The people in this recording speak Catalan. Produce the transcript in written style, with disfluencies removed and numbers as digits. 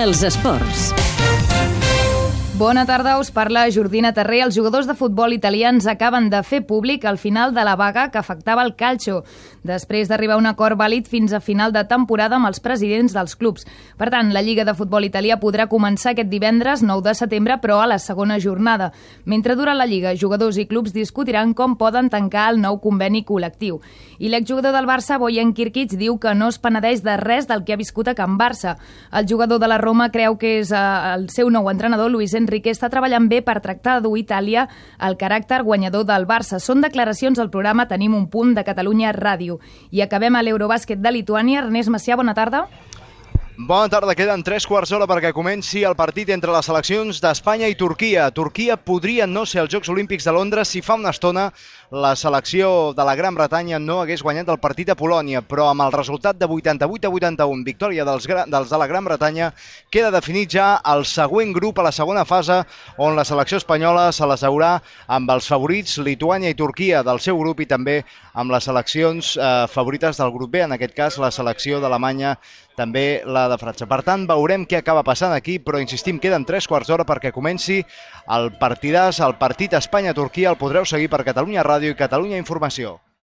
dels esports. Bona tarda, us parla Jordina Terré. Els jugadors de futbol italians acaben de fer públic el final de la vaga que afectava el calcio, després d'arribar a un acord vàlid fins a final de temporada amb els presidents dels clubs. Per tant, la Lliga de Futbol Italià podrà començar aquest divendres 9 de setembre, però a la segona jornada. Mentre dura la Lliga, jugadors i clubs discutiran com poden tancar el nou conveni col·lectiu. I l'exjugador del Barça, Bojan Kirkic, diu que no es penedeix de res del que ha viscut a Can Barça. El jugador de la Roma creu que és el seu nou entrenador, Luis Enrique, està treballant bé per tractar de dur Itàlia el caràcter guanyador del Barça. Són declaracions al programa Tenim un punt de Catalunya Ràdio. I acabem a l'Eurobàsquet de Lituània. Ernest Macià, bona tarda. Bona tarda, queden 3/4 d'hora perquè comenci el partit entre les seleccions d'Espanya i Turquia. Turquia podria no ser als Jocs Olímpics de Londres si fa una estona la selecció de la Gran Bretanya no hagués guanyat el partit a Polònia, però amb el resultat de 88-81, victòria dels de la Gran Bretanya, queda definit ja el següent grup a la segona fase, on la selecció espanyola se l'asseurà amb els favorits Lituània i Turquia del seu grup i també amb les seleccions favorites del grup B, en aquest cas la selecció d'Alemanya, també la de França. Per tant, veurem què acaba passant aquí, però insistim, queden 3/4 d'hora perquè comenci el partidàs, el partit Espanya-Turquia. El podreu seguir per Catalunya Ràdio i Catalunya Informació.